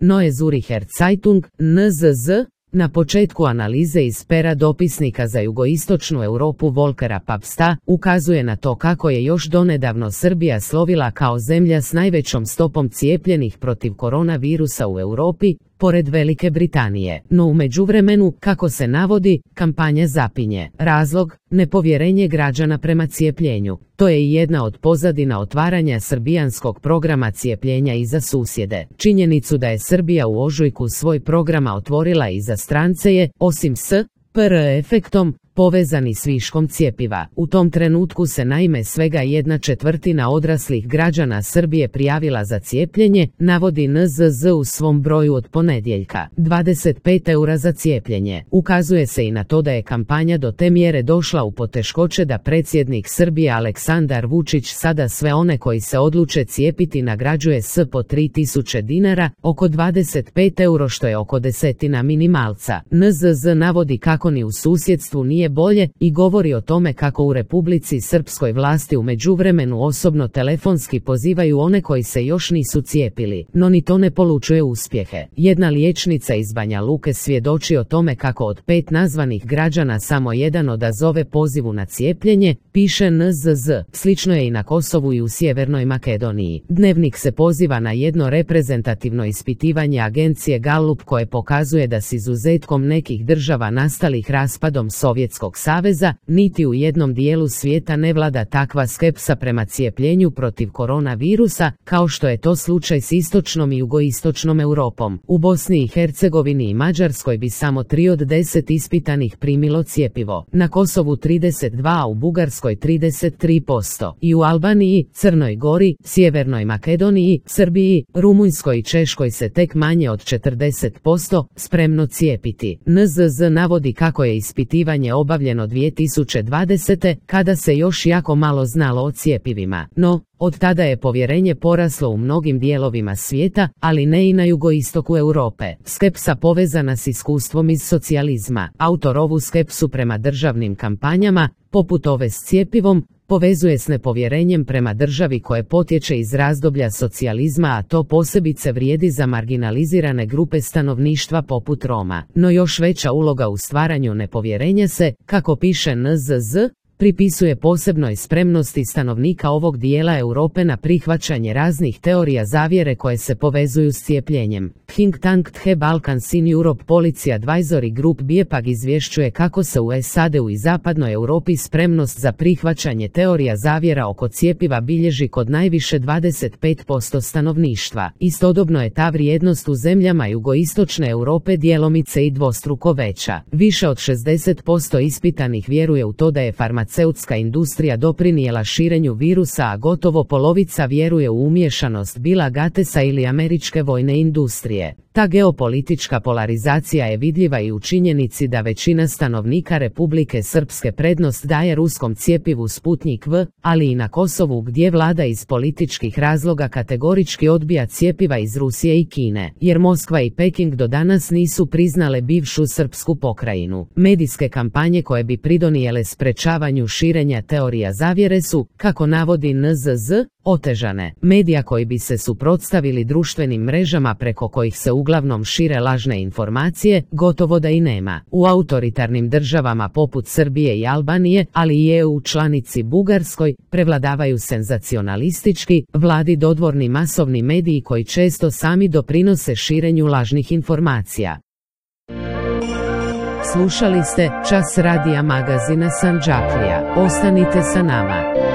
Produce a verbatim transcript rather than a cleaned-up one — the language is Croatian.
Neue Zuricher Zeitung, N Z Z, na početku analize iz pera dopisnika za jugoistočnu Europu Volkera Papsta, ukazuje na to kako je još donedavno Srbija slovila kao zemlja s najvećom stopom cijepljenih protiv koronavirusa u Europi, pored Velike Britanije. No u međuvremenu, kako se navodi, kampanja zapinje. Razlog, nepovjerenje građana prema cijepljenju. To je i jedna od pozadina otvaranja srbijanskog programa cijepljenja i za susjede. Činjenicu da je Srbija u ožujku svoj programa otvorila i za strance je, osim s P R efektom, povezani s viškom cjepiva. U tom trenutku se naime svega jedna četvrtina odraslih građana Srbije prijavila za cijepljenje, navodi N Z Z u svom broju od ponedjeljka. dvadeset pet eura za cijepljenje. Ukazuje se i na to da je kampanja do te mjere došla u poteškoće da predsjednik Srbije Aleksandar Vučić sada sve one koji se odluče cijepiti nagrađuje s po tri tisuće dinara, oko dvadeset pet eura što je oko desetina minimalca. N Z Z navodi kako ni u susjedstvu nije bolje i govori o tome kako u Republici Srpskoj vlasti u međuvremenu osobno telefonski pozivaju one koji se još nisu cijepili, no ni to ne polučuje uspjehe. Jedna liječnica iz Banja Luke svjedoči o tome kako od pet nazvanih građana samo jedan odazove pozivu na cijepljenje, piše N Z Z. Slično je i na Kosovu i u Sjevernoj Makedoniji. Dnevnik se poziva na jedno reprezentativno ispitivanje agencije Gallup koje pokazuje da s izuzetkom nekih država nastalih raspadom Sovjetskog saveza, niti u jednom dijelu svijeta ne vlada takva skepsa prema cijepljenju protiv koronavirusa, kao što je to slučaj s istočnom i jugoistočnom Europom. U Bosni i Hercegovini i Mađarskoj bi samo tri od deset ispitanih primilo cjepivo, na Kosovu trideset dva, a u Bugarskoj trideset tri posto. I u Albaniji, Crnoj Gori, Sjevernoj Makedoniji, Srbiji, Rumunjskoj i Češkoj se tek manje od četrdeset posto spremno cijepiti. N Z Z navodi kako je ispitivanje obavljeno dvije tisuće dvadesete. kada se još jako malo znalo o cjepivima. No, od tada je povjerenje poraslo u mnogim dijelovima svijeta, ali ne i na jugoistoku Europe. Skepsa povezana s iskustvom iz socijalizma. Autor ovu skepsu prema državnim kampanjama, poput ove s cjepivom, povezuje s nepovjerenjem prema državi koje potječe iz razdoblja socijalizma, a to posebice vrijedi za marginalizirane grupe stanovništva poput Roma. No još veća uloga u stvaranju nepovjerenja se, kako piše N Z Z, pripisuje posebnoj spremnosti stanovnika ovog dijela Europe na prihvaćanje raznih teorija zavjere koje se povezuju s cijepljenjem. Think tank The Balkans in Europe Policy Advisory Group B I E P A G izvješćuje kako se u S A D-u i zapadnoj Europi spremnost za prihvaćanje teorija zavjera oko cjepiva bilježi kod najviše dvadeset pet posto stanovništva. Istodobno je ta vrijednost u zemljama jugoistočne Europe djelomice i dvostruko veća. Više od šezdeset posto ispitanih vjeruje u to da je farmaceutska industrija doprinijela širenju virusa, a gotovo polovica vjeruje u umiješanost Billa Gatesa ili američke vojne industrije. Ta geopolitička polarizacija je vidljiva i u činjenici da većina stanovnika Republike Srpske prednost daje ruskom cjepivu Sputnik V, ali i na Kosovu gdje vlada iz političkih razloga kategorički odbija cjepiva iz Rusije i Kine, jer Moskva i Peking do danas nisu priznale bivšu srpsku pokrajinu. Medijske kampanje koje bi pridonijele sprečavanju širenja teorija zavjere su, kako navodi N Z Z, otežane. Medija koji bi se suprotstavili društvenim mrežama preko kojih se uglavnom šire lažne informacije, gotovo da i nema. U autoritarnim državama poput Srbije i Albanije, ali i E U članici Bugarskoj, prevladavaju senzacionalistički, vladi dodvorni masovni mediji koji često sami doprinose širenju lažnih informacija. Slušali ste Čas radija magazina Sandžaklija. Ostanite sa nama.